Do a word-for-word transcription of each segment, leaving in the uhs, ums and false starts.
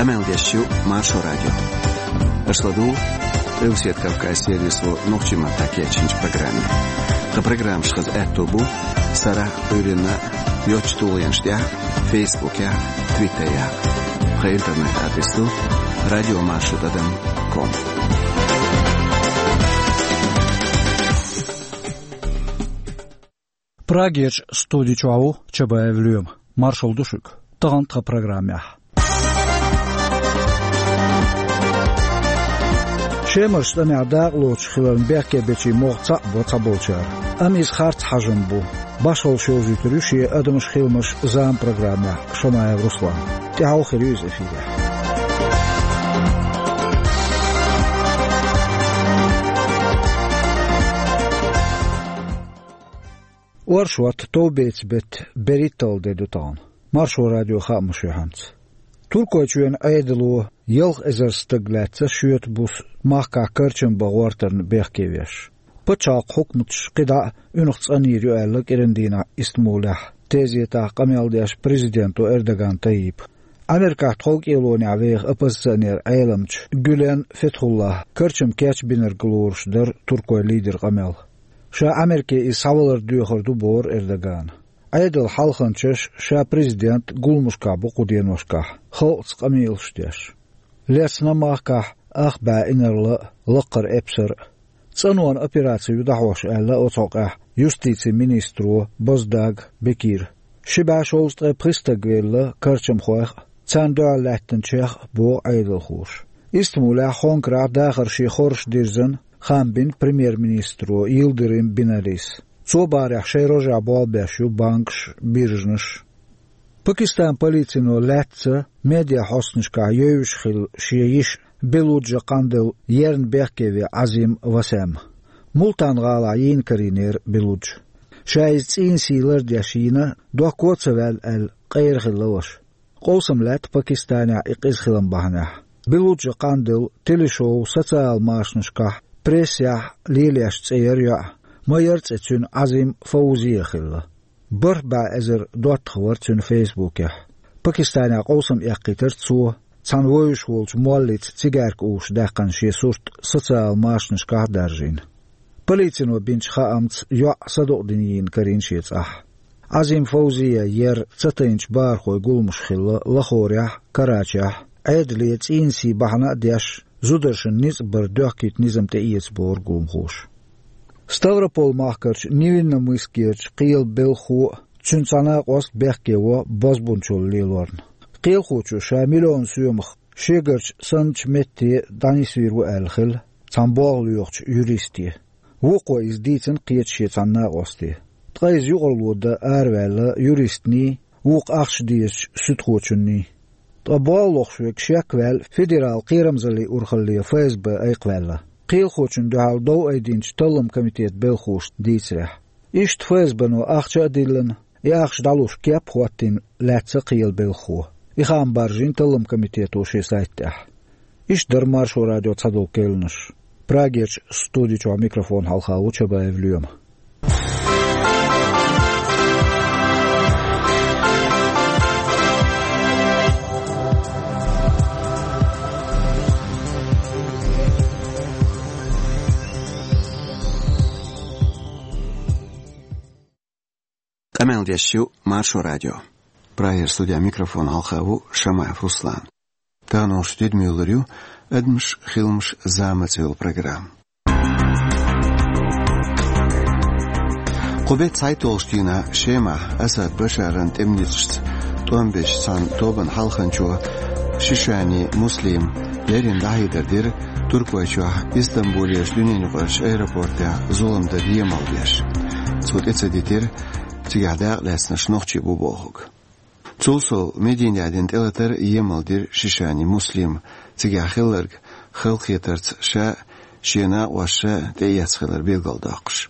Къамел деш ю Маршо радио. Аша ладугӀу Къилбаседа Кавказан сервисо нохчийн маттахь кечйинчу программе. Тхан программаш хаза аьтто бу сарахь а, Ӏуьйранна а йоцачу тулгӀенаш тӀехь а, Фейсбукехь а, Твиттерехь а. Тхан интернет-адрес ду радиомаршо тӀадам ком. Прагерчу студи чохь ву Чабаев Лоьма. Маршалла ду шуьга. Тахана тхан программехь: Шемарчу тӀамехь дакъалоцуш хиларна бехке бечийн могӀа цхьаъ бо цхьаболчара. Амма иза харц хьажам бу. Башхалла шозуьйтур ю шен «Адамаш, хиламаш, зама» программехь Шамаев Руслана. ТӀаьхьо хир ю иза эфирехь. Оршот, товбецан беттан берхӀитталгӀа де ду тахана. Маршо радион хаамаш юьхьанца. Туркойчоьнан Ӏедало ялх эзар стаг лаьцна шоьтан буса махкахь карчам бан гӀортарна бехке веш. Пачхьалкхан хьукматаш кхидӀа а уьнах цӀанйийр ю аьлла кӀиран дийнахь Истамбулехь тезетахь къамел деш президенто Эрдоган Тайипа. Америкахь тховкӀелонехь веха оппозиционер Ӏеламчу Гюлен Фетхуллахьа карчам кечбинарг лоруш дара туркойн лидеран къамел. Ша Америке иза схьавалар доьхур ду, бохура Эрдогана. Ӏедалан хьалханчаш, ша президент гуламашкахь бу кху деношкахь, халкъаца къамелаш деш. Лецна махкахь ах бӀе инарла а, лакхара эпсар а. ЦӀанонан операци ю дӀахьош аьлла оцу хьокъехь юстицин министро Боздаг Бекира. Ши бӀе шовзткъе пхи стаг велла карчамхойх а, царна дуьхьал лаьттинчех а, боху Ӏедалхоша. Истамбулехь, Хонкарахь дахар шен хорша дирзина хаам бина премьер-министро Йылдырым Биналис. Цо бахарехь, шайн рожехь болх беш ю банкаш, биржанаш. Пакистанан полицино лаьцна медиахьостанашкахь евзаш хилла шен йиша Белуджа Къандел ерна бехке веана Ӏазим Васем. Мултан-гӀалахь йийна карийнера Белуджа. Ша иза цӀийнан сий лардеш йийна, дохко а ца ваьлла аьлла, къера хилла ваша. Къовсам лаьтта Пакистанехь и къиза хилам бахьанехь. Белуджа Къандел телешоу, социал машанашкахь, прессехь лелош цӀе яра йоӀ, ма яра цӀе цуьнан Ӏазим Фаузия хилла. БархӀ бӀе эзар доттагӀа вара цуьнан Фейсбукехь. Пакистанехь къовсам эккхийтира цо, цхьана вевзаш волчу моллица цигаьрка увуш даьккхина шен сурт социал машанашкахь а даржийна. Полицино бинчу хаамца, йоӀ садукъдина йийна карийна шен цӀахь. Ӏазим Фаузия ер ца тайначу бахархойн гуламаш хилла Лахорехь а, Карачехь а, Ӏедале цӀийнан сий бахьана а деш, зударшна ницкъ бар доьхкийта низам тӀеэца, бохура гуламхоша. Ставрополь-махкарчу Невинномыскерчу кхелан белхахо а, цуьнан цхьа накъост а бехке во бозбунчалла лелорна. Кхелахочо ша миллион соьмах шегарчу санначу метте дӀанисвийр ву аьлла хилла цхьана болх лоьхучу юристе. Вукхо иза дийцина кхечу шен цхьана накъосте. Ткъа иза юкъаралла дан араваьлла юристний, вукху ахча дезачу суьдхочунний. Ткъа болх лохуш верг шек а ваьлла, федералан кхерамзаллин урхалле ФСБ айкхваьлла. Кхелахочунна дуьхьал дов айдинчу таллам комитетан белхахоша дийцарехь. Иштта ФСБ-но ахча а диллина, и ахча дӀалуш кеп а хӀоттийна лаьцна кхелан белхахо. И хаам баржийна таллам комитето шен сайта тӀехь. Иштта дара Маршо радион цхьадолу кхаьънаш. Прагерчу студи чохь микрофон хьалха ву Чабаев Лоьма. Къамел деш ю Маршо радио. Прагера студехь микрофон хьалха ву Шамаев Руслан. Тахана шун тидам юьллур ю «Адамаш, хиламаш, зама» цӀе йолу программа. Кху беттан цхьайтталгӀачу дийнахь Шемахь Асад Башаран тӀеман ницкъашца тӀом бечу цхьана тобанан хьалханчо Шишани Муслима леррина дӀахьедар дира Туркойчохь Истамбулерчу дуьненан юкъарчу аэропортехь зулам дан емал беш. Цо тӀе ца дитира, цигахь дакъалаьцнарш нохчий бу бохург. Цул сов, Мединехь дина тӀелатар емал дира Шишани Муслима, цигахь хилларг халахетарца ша а, шен накъосташа а тӀеэцна хилар билгалдоккхуш.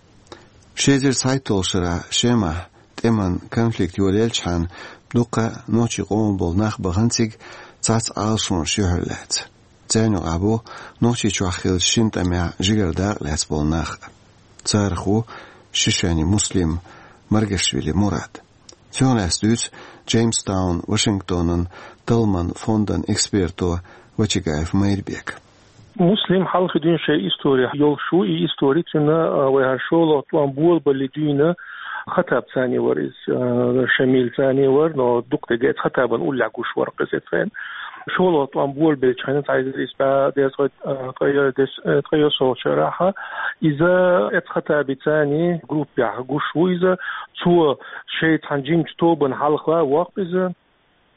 Ши эзар цхьайтталгӀачу шарахь Шемахь тӀеман конфликт йолаелчхьана дуккха а нохчийн къоман болу нах бахана цига цхьацца Ӏалашонаш юьхьарлаьцна. Царна юкъахь бу Нохчийчохь хиллачу шина тӀамехь жигара дакъалаьцна болу нах а. Царах ву Шишани Муслим, Маргашвили Мурад. Цунах лаьцна дуьйцу Джеймстаун, Вашингтонан талламан фондан эксперто Вачагаев Майрбека. Муслим хьалха дуьйна шайн истори йолуш ву, и истори цуьнан, а, вай хӀара шолгӀа тӀом болабале дуьйна. Хаттаб цӀарна вара иза, а, Шамил цӀарна вара, но дукха дерг эцу Хаттабан уллехь гуш вара иза эцу хенахь. ШолгӀа тӀом болабеллачу хенахь цхьа иза иза бӀе дезткъе, а, ткъе дезткъе, а, ткъе йоьсналгӀачу шарахь иза эцу Хаттаби цӀарна группехь гуш ву иза. Цо шайн цхьана жимачу тобанна хьалха воккху иза.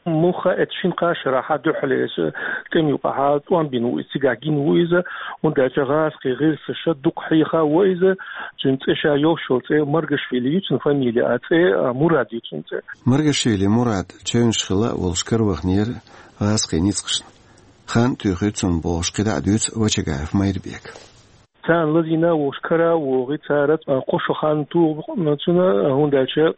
Муха эцу шина-кхаа шарахь дуьххьарлера иза тӀеман юкъахь тӀом бина ву иза, цигахь гина ву иза, хӀунда аьлча гӀазкхийн гӀирсаша дукха хьехаво иза. Цуьнан цӀе ша йолуш йолу цӀе Маргашвили ю, цуьнан фамилия, а цӀе, а, Мурад ю цуьнан цӀе. Маргашвили Мурад чевнаш хилла а волуш караваханера гӀазкхийн ницкъашна. Хан а туьйхира цунна бохуш, кхидӀа а дуьйцу Вачагаев Майрбека. Царна лазийна а волуш кара а вогӀий цара, а, кхо шо хан туху цуьнан, а, хӀунда аьлча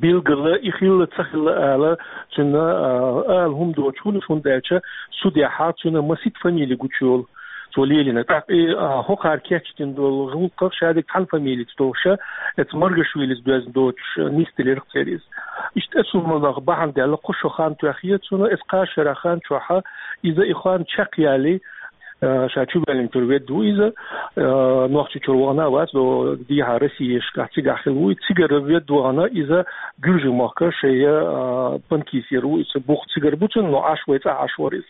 билггала и хилла, ца хилла ала, цуьнан, а, ала хӀума доцуш хуьлуш, хӀунда аьлча судехь цуьнан масийтта фамили гучуйолу цо лелийна. ТӀаккха и, а, хӀокхара кечдина долу гӀуллакхах шадерг цхьана фамилица долуша, эцу Маргашвилица доьзна доцуш, нисделира церан иза. Иштта эцу хӀуманах бахьана даьлла кхо шо хан тоьхна цуьнан, эцу кхаа шарахь хан чохь иза и хан чекхъяьлла, а, ша чувоьллинчуьра ведда ву иза, а, Нохчийчуьра вахана а вац, до дехьа Россешкахь цигахь хилла ву. Цигара ведда вахана иза Гуьржийн махка шайн, а, панкисера ву иза, бух цигара бу цуьнан, но Ӏаш вай цӀахь Ӏаш вара иза.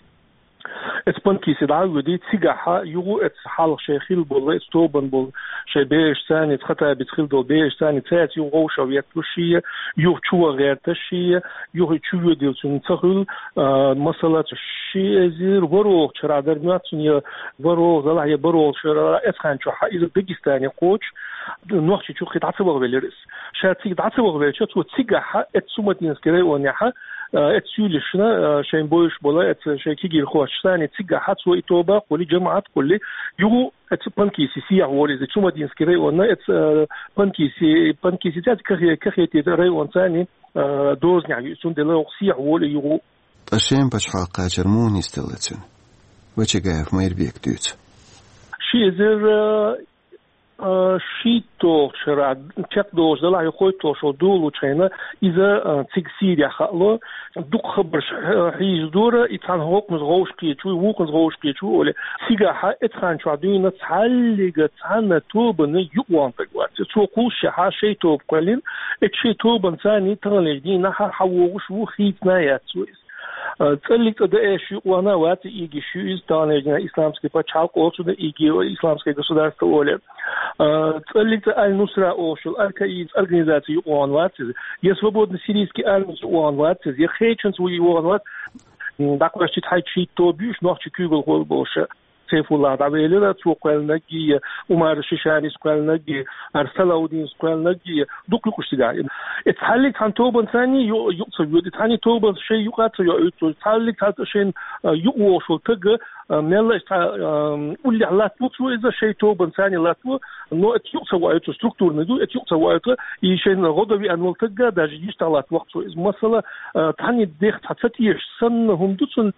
Эцу панкисе дӀа а воьдий, цигахь юха эцу хьалха шайн хилла болу, эцу тобанна болу шайн бераш цӀарна, эцу Хаттабица хилла долу бераш цӀарна, цаьрца юха вовшах ветталуш шен, юха чу ван гӀерташ шен, юха чу воьдийла цуьнан ца хуьлу, а, масала, ши эзар ворхӀалгӀачу шарахь дара моьтту суна, я ворхӀалгӀа, делахь я бархӀалгӀа шарахь, эцу хан чохь иза Дагестане кхочуш, Нохчийчу кхин дӀа ца вахавелира иза. Ша цига дӀа ца вахавелча, цо цигахь эцу Цумадинский районехь, а, эцу суьйлашна, а, шайн бевзаш болу, эцу шайн кегийрхошца цӀарна цигахь цо и тоба кхуллий, жамаӀат кхуллий, юха эцу панкисе сехьа волу иза, Цумадинский районна, эцу, а, панкисе, панкисе цӀа кахе-, кахетийта район цӀарна, а, дозанехь ю, цундела оха сехьа волу юха. Ткъа Шеман пачхьалкх кхачар муха нисделла цуьнан? Вачагаев Майрбека дуьйцу. Ши эзар, а, а, шийтталгӀачу шарахь чекхдолуш делахь, я кхойтталгӀачу шарахь долучу хенахь иза, а, цига Сирехь хаало, дукха хабарш, а, хьийзадора, и цхьана хӀокхунца гӀовш кхечу, вукхунца гӀовш кхечу олий. Цигахь эцу хан чохь дуьйна цхьаллига цхьана тобанна юкъаван стаг вац. Цо кхуллушехь шайн тоба кхоьллина, эцу шайн тобанна цӀарна таханлерчу дийнахь хьавогӀуш ву, хийцина яц цо иза. А, цӀаллиг цӀа Даиш юкъавана вац, ИГИШ ю иза, таханлерчу дийнахь Исламский пачхьалкх олу цунах, ИГИ, Исламская государство олий. А, цӀаллиг цӀа Аль-Нусра олуш йолу, Аль-Каид, организаци юкъаван вац иза. Я Свободный сирийский армица юкъаван вац иза, я кхечунца ву юкъаван вац. М, дӀакхоьссича хьайчу шийтта тоба ю уьш, нохчийн куьйгалхой болуш. Сайфуллах дӀавелира, цо кхоьллинарг а, Умар Шишанис кхоьллинарг а, Ар Салаудинс кхоьллинарг а, дукха ю-кх уьш цигахь. И цхьаллиг цхьана тобанна цӀарна ю-, юкъа ца воьду, цхьанний тобанна шайн юкъа ца йоуьйту, цхьаллиг цхьа шайна, а, юкъа вогӀуш волу таг, а, мелла а цхьа, а, уллехь латтаво цо иза, шайн тобанна цӀарна латтаво, но эцу юкъа ца воуьйту, структурный ду, эцу юкъа ца воуьйту, и шайна гӀо дан веана волу таг даже йистехь латтаво-кх цо иза. Масала, а, цхьанний дех цхьа ца тешаш санна хӀума ду цунна,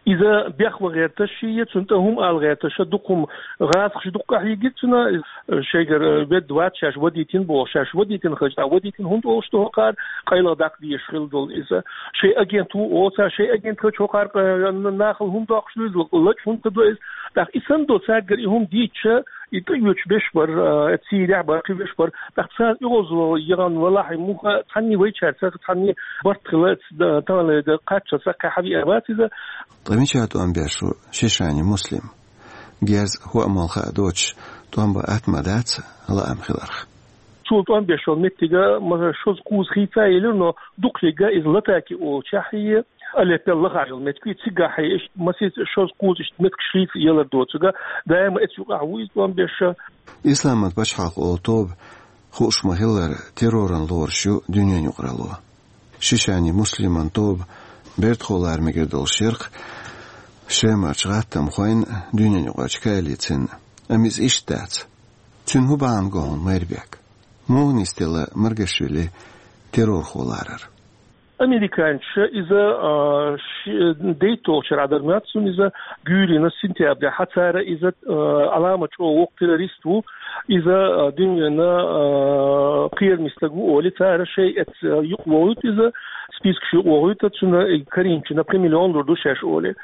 иза бехван гӀерташ шен, цунна тӀе хӀума ала гӀерташ, дукха хӀума, гӀазкхаша дукха къахьийгира цунна, шайгара ведда вац, шаьш вадийтина боху, шаьш вадийтина хилча, тӀаккха вадийтина хӀунда олуш ду хӀокхара, къайлаха даккха дезаш хилла долу иза. Шайн агент ву олу цара, шайн агент хилча хӀокхара, э, нахала хӀума доккхуш ду иза, лачкъа хӀунда ца до иза. ТӀаккха и санна долу цаьргара и хӀума дийцича, и тӀеоьцуш берш бара, э, Сирехь бара, кхин берш бара. ТӀаккха царна оьгӀазло яхана валахь, муха цхьанний вайчаьрца цхьанний барт хилла, ц-, да, таханлерга кхаччалц кхаьхьа веана вац иза. Ткъа мичахь тӀом беш ву Шишани Муслим? Герз хӀоа-молла хаа доцуш, тӀом бан атта ма дац, лаам хиларх. Цо тӀом беш йолу меттиг, ма, шозза-кхузза хийца а елира, но дукхахьегга иза Латаки олучохь, Алеппел лаха йолу меттиг, цигахь иштта масийтта шозза-кхузза иштта меттигаш хийца а елар доцург, даима эцу юкъахь ву иза тӀом беш. Исламан пачхьалкх олу тоба, хууш ма-хиллара, терроран лоруш ю дуьненан юкъаралло. Шишани Муслиман тоба бертахо лара мегар долуш яра-кх Шемарчу гӀаттамхойн, дуьненан юкъарчу коалицин. Амма иза иштта дац. Цуьнан хӀун бахьана го хьуна, Майрбек? Муха нисделла Маргашвили террорхо ларар? Американча иза, а, ши-, дейттолча радар мацун иза гуьйрина сентябрь хьацара иза, а, алама чӀо вокх террорист ву, иза, а, динвена, а, кхерамистаг ву оли цара шей эц, а, юкъ вогӀуьт иза, спискаш юкъ вогӀуьт, цуна каринчина пхи миллион лур ду шеш оли.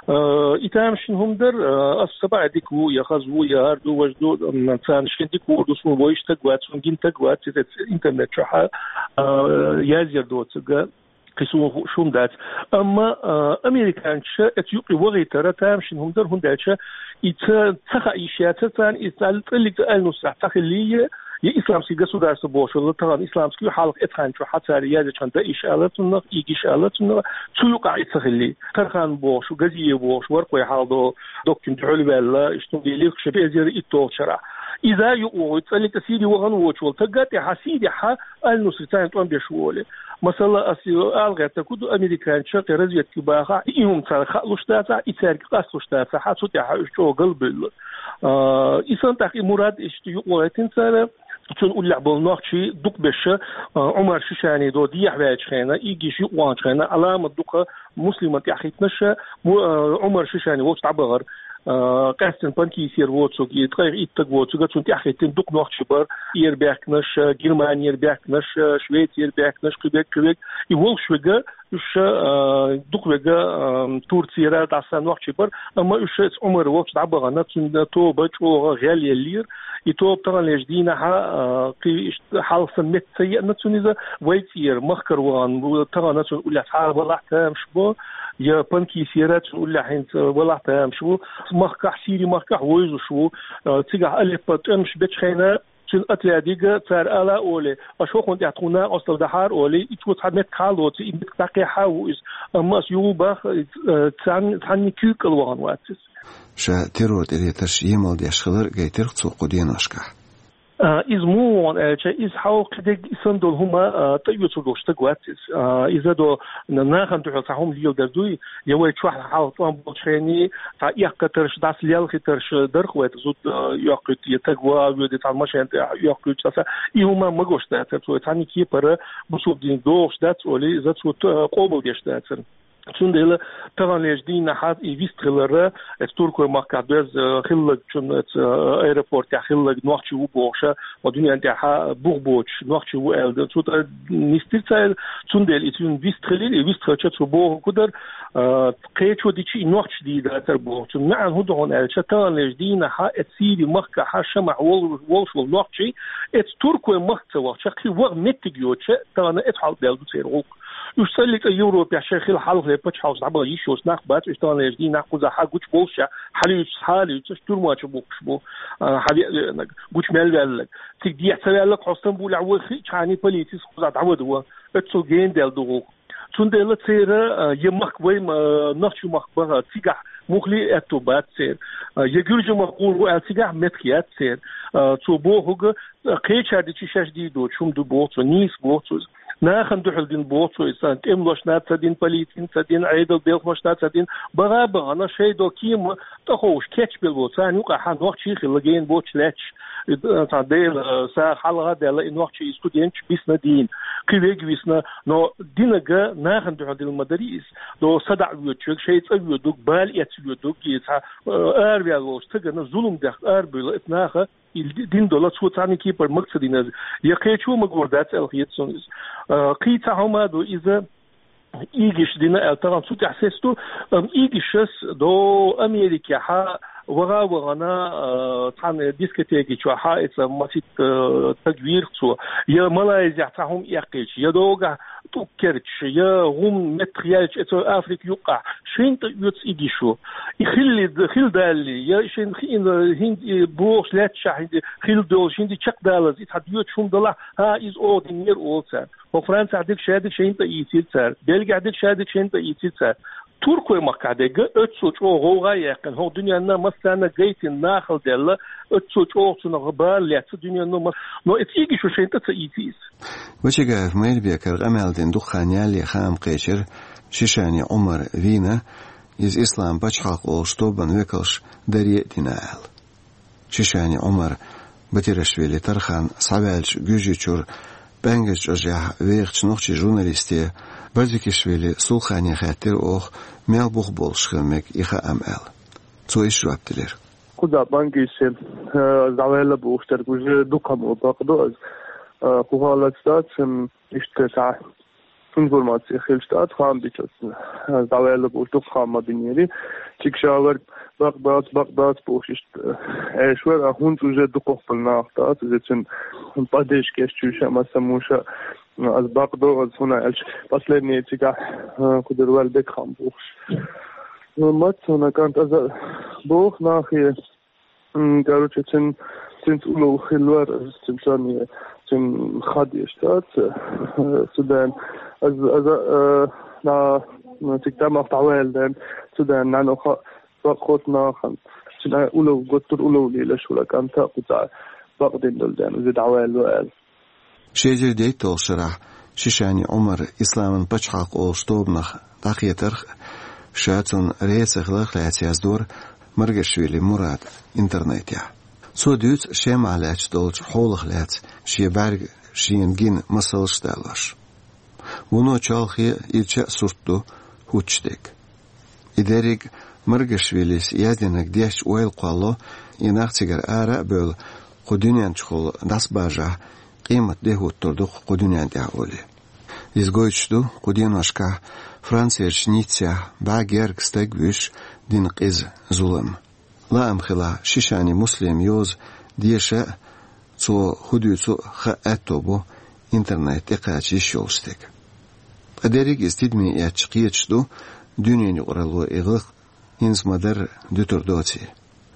А, и тамашин хӀумдар, а, ас саба дик ву, я хаз ву, я гьар ду, важ ду, м, царна шин дик ву, ду сун войштаг вац, сун гинтаг вац, эц интернет чухьа, а, язъяр доцага. Кхисун шум дац. Амма, а, американча эц юкъи вагъитара тамашин хӀумдар хӀунда аьлча, и ца, ца ха иш яцар царна, и цал-, цӀаллица аль-Нусра ца хилли, я исламский государство бошула, тагӀан исламский хьалха эцханчу хьацари язичхан да иш алацуннах, иг иш алацуннах, цу юкъа и ца хилли. Тархан бохуш, Газиев бохуш, варкъой хьалдо, доккин дуьхьал ваьлла, иштун лихуша безер иттолчара. Иза юкъ вогӀуй, цӀаллица Сири вагӀан вочул, тагга тӀехьа Сири хьа аль-Нусри царна тӀом беш воле. Масала, ас алгӀетта куду американча кхе разведки баха, и хӀум цар хаълуш дацахь, и царга къаслуш дацахь, цу тӀехьа уьш чӀогӀа галбуьллу. А, исан тӀаккха и мурад иштта юкъвайтин цара, цун уллехь болу нохчий дукха беша, а, Умар Шишани до дехьа ваьлча хена, игиш юкъванча хена, аламат дукха муслиман тӀехь хитнаша, му-, а, Умар Шишани волчу дӀабахар, а, къаьстина панкисер воцуг, и ткъайх иттаг воцуг, цун тӀехь хитин дукха нохчий бар, Ер бехкнаш, а, Германияр бехкнаш, а, Швецияр бехкнаш, кхибек, кхибек, и волуш вега, уьш, а, дукха вега, а, Турцияра дӀаса нохчий бар, амма уьш эц Умар волчу дӀабахана, цуьнан тоба чӀогӀа гӀел еллера, и тоба таханлеш дийнахьа, а, кхи иш хьалха сан метта ца еана цун иза, вай цӀера махкара вахана, тахана цун уллехь цхьа валахь тамаш бо, я панкисера цун уллехь хӀинца валахь тамаш ву, махкахь, Сири махкахь войзуш ву, а, цигахь Алеппо тӀемаш бечхьайна, цуьнан отрядига цара ала оле, аша хӀокхунна тӀехь тхуна накъостал дахьара оле, и чу цхьа метта хьалоци, и метта дӀакхехьа ву иза, амма ас югӀу бах, а, цхьанна, цхьанна куьйкал вахана вац иза. Ша террор тӀелетарш емал деш хилар гайтира цо кху деношкахь. А, иза муха вон аьлча, иза хьалха кхидерг исан долу хӀума, а, тӀеоьцур долуш стаг вац иза. А, иза до на-, нахана дуьхьал цхьа хӀума леладар дуй, я вай чохь хьалха тӀом болчу хенний, цхьа эккхатарш, дӀас лелхитарш дарх вай зуд, а, йоккхуьйту, я таг вагӀа воьду, цхьа машен тӀе йоккхуьйту, цхьа са-, и хӀума магош дацар, цо цхьанна кепара бусург дин догӀуш дац, оли, иза цо т-, къобал деш дацар. Цундела таханлеш дийнахьа и вист хиларра, эц Туркой махкахь доьзна, э, хиллагчун, эц, э, аэропортехь хиллаг нохчи ву бохуша, ва дуьнен тӀехьа бух боцуш нохчи ву аьлла, цу тӀа нистира цара, цундела и цуьнан вист хилира, и вист хилча цу боху кудар, э, кхечо дичи и нохчи дийдацар боху. Цун маьӀна хӀун ду хьуна аьлча, таханлеш дийнахьа эц Сири махкахьа шамахь вол-, волуш волу нохчи, эц Туркой махка ца вахча, кхин ваха меттиг йоцча, тахана эц хьал бел ду церан гӀуллакх. Уьш цӀаллица Европехь шайн хила хьалхале пачхьалкхаш дӀабаха йиш йолуш нах бац, уьш таханлерчу дийнахь кхузахь гучу болуш, хьалуьйцуш, хьалуьйцуш, тюрьмачу бухкуш бу, а, хьавеа веанарг, гучу мел ваьлларг. Цига дехьа ца ваьлларг хьо Стамбулехь вай хиъчхьана полицис кхузахь дӀавада ван, оццул гена даьлла ду гӀуллакх. Цундела церан, а, я махка вай, а, нохчу махка баха, цигахь мухли аьтту бац церан. А, я гуьржа махка гӀур ву аьлла, цигахь меттиг яц церан. А, цо бохуга, кхечара дичи шаьш дийр доцуш хӀума ду боху цо, нийса боху цо иза. Нахана дуьхьал дина боху цо иза, царна тӀемалошна ца дина, полицина ца дина, Ӏедал белхамашна ца дина, баха а бахана, шайн до кема тӀаховш кечбелла бо, царна юкъахь нохчий хилла гена боцуш лаьтташ, э, цхьа Дела, э, сагӀа хьалха а даьлла, и нохчий студенташ бисна дийна, кхин вега висна, но динага нахана дуьхьал дина ма дарий иза, до садаӀа воьдучуьнга, шайн цӀа воьдург, бала эцна воьдург, и цхьа, э, араваьлла волчу стагана зулам дехка арабуьйла, эца наха и ди-, дин дола, цо цхьанна кепара маг ца дина иза. Я кхечо магор дац аьлла хета суна иза. А, кхин цхьа хӀума а ду иза, игиш дина аьлла, тахана цу тӀехь сес ду, ам, игишас до Америкехьа ваха а вахана, а, цхьана дискотеки чохьа, эца масит, а, таг вийрх цо. Я Малайзехь цхьа хӀума эккхийча, я догахь тӀуккерча, я гӀум меттах яьлча, эца Африка юккъахь, шайн тӀа оьцу игишу. И хилли, хила далли, я шайн хиъна, хӀинца и бохуш лаьтташехь, хӀинца хила долуш, хӀинца чекхдалаза, и цхьа доьцуш хӀума далахь, хӀа, иза оха динера олу цара. Хьо Францехь дика шадика шайн тӀа ийцира цара. Бельгехь дика шадика шайн тӀа ийцира цара. Туркой махкахь дерг, оццул чӀогӀа гӀовгӀа а яьккхина, хӀокху дуьненна массарна гайтина нахала даьлла, оццул чӀогӀа цунах бала лаьцна дуьненна мас-, но эца игишу шайн тӀа ца ийци иза. Бачагаев Майрбекара къамел дина дукха хан ялале хаам кхечира Шишани Ӏумар вийна, иза Ислам пачхьалкх олуш тобанан векалш даре а дина аьлла. Шишани Ӏумар Батирашвили Тархан схьаваьлча Гуьржийчуьра ПӀаьнгаза чӀожехь вехачу нохчийн журналисте Барзикишвили Сулхане хаьттира оха, мел бух болуш хила мега и хаам аьлла. Цо иштта жоп делира. Кхуза бангисе, э, дӀаваьлла бохуш дерг уже дукха ма бакъду аз. Э, кху халаца дац, м, иштта цхьа информаци хилча дац, хаам бича, э, дӀаваьлла бохуш дукха хаам ма бинера. Цига ша вар бакъ дац, бакъ дац бохуш иштта, э, эшвар, а хӀунца уже дукхахбала нах дац, уже цуьнан падежка эшчуьйша, масса муша, э, аз бакъду, аз хӀуна аьлча, последний цигахь, э, кху дервал декхам бохуш. Ну, мац хӀуна кӀант аза боху нахе. М, короче, цин, цинца улов хилвар, цин царна, цин хадеш дац, э, цу ден, аз, аз, э, на, на, цик тамах тавел ден, цу ден, на, ну, ха, ха, хот нахан, цин, э, улов, готтур улов лила шула канта, куца, бакъдин дол ден, узи давел вел. Ши эзар дейтталгӀа шарахь Шишани Ӏумар исламан пачхьалкх олуш тобанах дӀакхетарх, ша цунна реза ца хиларх лаьцна яздора Маргашвили Мурада интернетехь. Цо дуьйцу Шемахь лаьтташ долчу хьолах лаьцна шен бӀаьрга шена гина масалш а далош. Вуно чолхе ирча а сурт ду хӀуттуш дерг. И дерриг Маргашвилис яздинарг дешча ойла кхолло, и нах цигара ара а бевлла, кху дуьнен чухула дӀасабажахь, къемат де хӀуттур ду кху дуьнен тӀехь олий. Иза гойтуш ду кху деношкахь Францерчу Ниццехь бӀе гергга стаг вуьйш дина къиза зулам. Лаам хилахь, Шишани Муслима йоза деша а, цо хӀун дуьйцу а хаа аьтто бу интернет тӀекхача йиш йолуш стеган. Ткъа дерриг иза тидаме эцча кхеташ ду, дуьненан юкъаралло и гӀиллакх хӀинца ма-дарра дуьтур доций.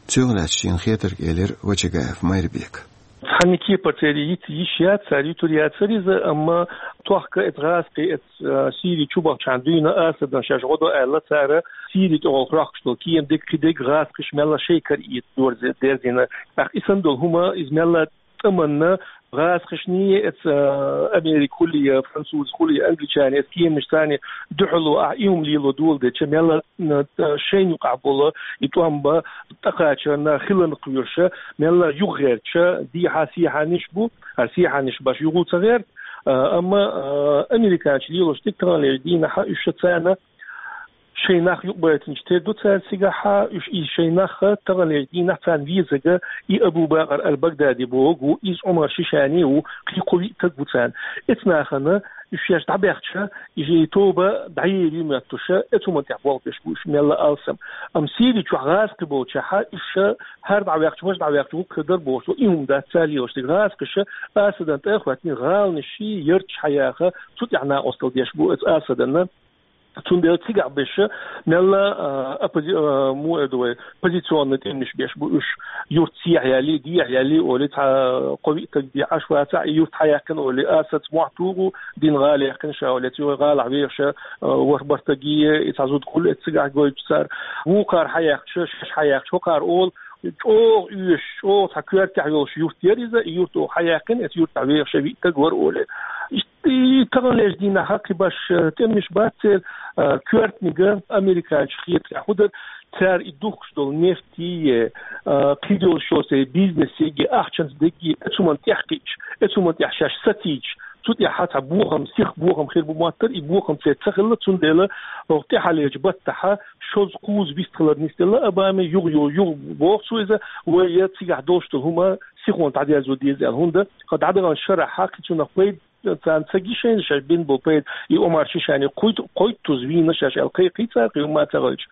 Цуьнах лаьцна шена хетарг элира Вачагаев Майрбека. Цхьанна кепара церан йиц йиш яц, цара юьтур яцара иза, амма тохка эца гӀазкхи, эца, а, Сири чу бахчахьана дуьйна Асадан шаьш гӀо до аьлла, цара Сири тӀехула хьоьхкуш долу кема дерг, кхин дерг гӀазкхиш мелла шайн кара ийца дорзе-, дерзийна. ТӀаккха и санна долу хӀума, иза мелла тӀаманна гӀазкхишний, эца, а, Америка хуьлий, француз хуьлий, англичане, эца кеманаш царний дуьхьало ахь и хӀума лело доладеча, мелла, м, а, шайна юкъахь болу и тӀом бан тӀакхачарна хиларна кхоьруша, мелла юхагӀертача, дехьа-сехьаниш бу, хӀара сехьаниш баш юха ца гӀерта, а, амма, а, американчу лелош дерг таханлерчу дийнахьа уьш ша царна шайн нах юкъабайтинчу тера ду цара цигахьа, уьш иза шайн нах таханлерчу дийнахь царна везага и Абу-Бакъар аль-Багдади боху, иза Ӏумар Шишани ву, кхин кхо-виъ стаг ву царна. Эца нахана уьш шаьш дӀабаьхча, и тоба дӀаер ю моьттуша, эца хӀуманна тӀехь болх беш бу уьш, мелла алсам. Амма Сири чохь гӀазкхи болчахьа, уьш ша хӀара дӀаваьхча, важа дӀаваьхча, вукху хир дара бохуш, и хӀума дац цара лелош дерг. ГӀазкхиша Асадан тӀе а хӀоьттина, гӀаланаш ший ярташ хьаяха, цу тӀехь накъосталла деш бу эца Асаданна. Цундела цигахь беша мелла, а, оппози-, а, му эр ду вай, позиционный тӀемаш беш бу уьш. Юрт сехьа яьлли, дехьа яьлли, олий, цхьа кхо-виъ стаг дехьаш вацахь, и юрт хьаяьккхина, олий, Асадаца мохь туху, дина гӀала яьккхина ша, олий, цу гӀалахь вехаш, а, ворхӀ-бархӀ стаг, и цхьа зуда хуьлу эца цигахь гойтуш цара. Вукхара хьаяьккхича, шаьш хьаяьккхича, хӀокхара олу, чӀогӀа оьшуш, чӀогӀа цхьа коьртехь йолуш юрт яра иза, и юрт оха хьаяьккхина, эца юртахь вехаш виъ стаг вара, олий. Иштта и таханлерчу дийнахьа кхин баш, э, тӀемаш бац церан, э, коьртаниг американчу хетарехь хӀун дара, цара и духкуш долу нефтий, э, кхидолуш йолу церан бизнесиги, ахчанца дегги, эца хӀуманна тӀехь кхиъча, эца хӀуманна тӀехь шаьш сацийча, цу тӀехь цхьа бохам, сиха бохам хир бу моттара, и бохам церан ца хилла, цундела оха тӀаьхьалерчу баттахьа шозза-кхузза вист хилар нисделла Обаме, юха, юха, юха боху цо иза, вай я цигахь долуш долу хӀума сихонца дӀадерзо деза аьлла, хӀунда, хӀа дӀадаханчу шарахьа кхин цунах пайда царна ца гишайна шаьш бина болу пайда, и Омар Шишани кхойт-, кхойттуза вийна шаьш аьлла кхайкхий цара, кхин хӀумма ца хилча.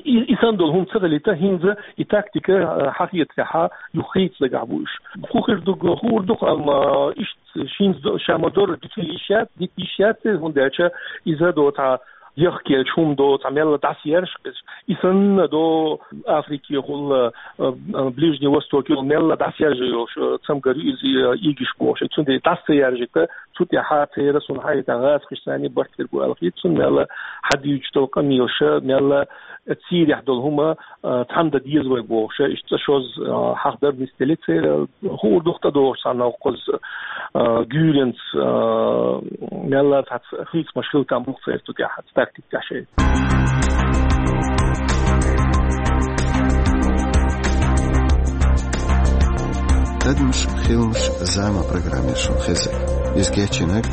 И, и санна долу хӀума ца хилийта, хӀинца и тактика, а, хьан хетарехьа юха хийца дагахь бу уьш. ХӀун хир ду, хуур ду, амма иштта шин ша ма-дарра дита йиш яц, дита йиш яц, хӀунда аьлча иза доцу яхкелча хӀума доцу, мелла дӀасаяржа, и санна до Африкехула, а, а, Ближний Востокехула мелла дӀасаяржа йолуш, а, цамгар ю иза, а, ийгиш бохуш. Цундела дӀаса ца яржийта, цу тӀехьа церан, суна хьахийта, гӀазкхишца барт хир бу аьлла хийца, цунна мелла хьадуьйцуш долу къамелаша, мелла церехь долу хӀума, а, цхьаьна дан деза вай бохуша, иштта цӀа шозза, а, хьахдар нисделира церан, хуур ду-кх тӀедогӀуш цхьа новкъаза, а, гуьйранца, а, мелла цхьацца хийцамаш хила там бу-кх церан цу тӀехь, цу тактика тӀехь шайн. Адамаш, хиламаш, зама программера шуна хеза. Иза кечйинарг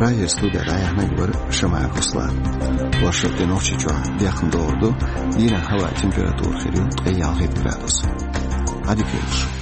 Прагера студера дӀаяьхьнарг вара Шамаев Руслан. Оршот де Нохчийчохь дехна догӀур ду, дийнахь хӀаваан температура хир ю ткъе ялхитта градус. Ӏадика йойла шун.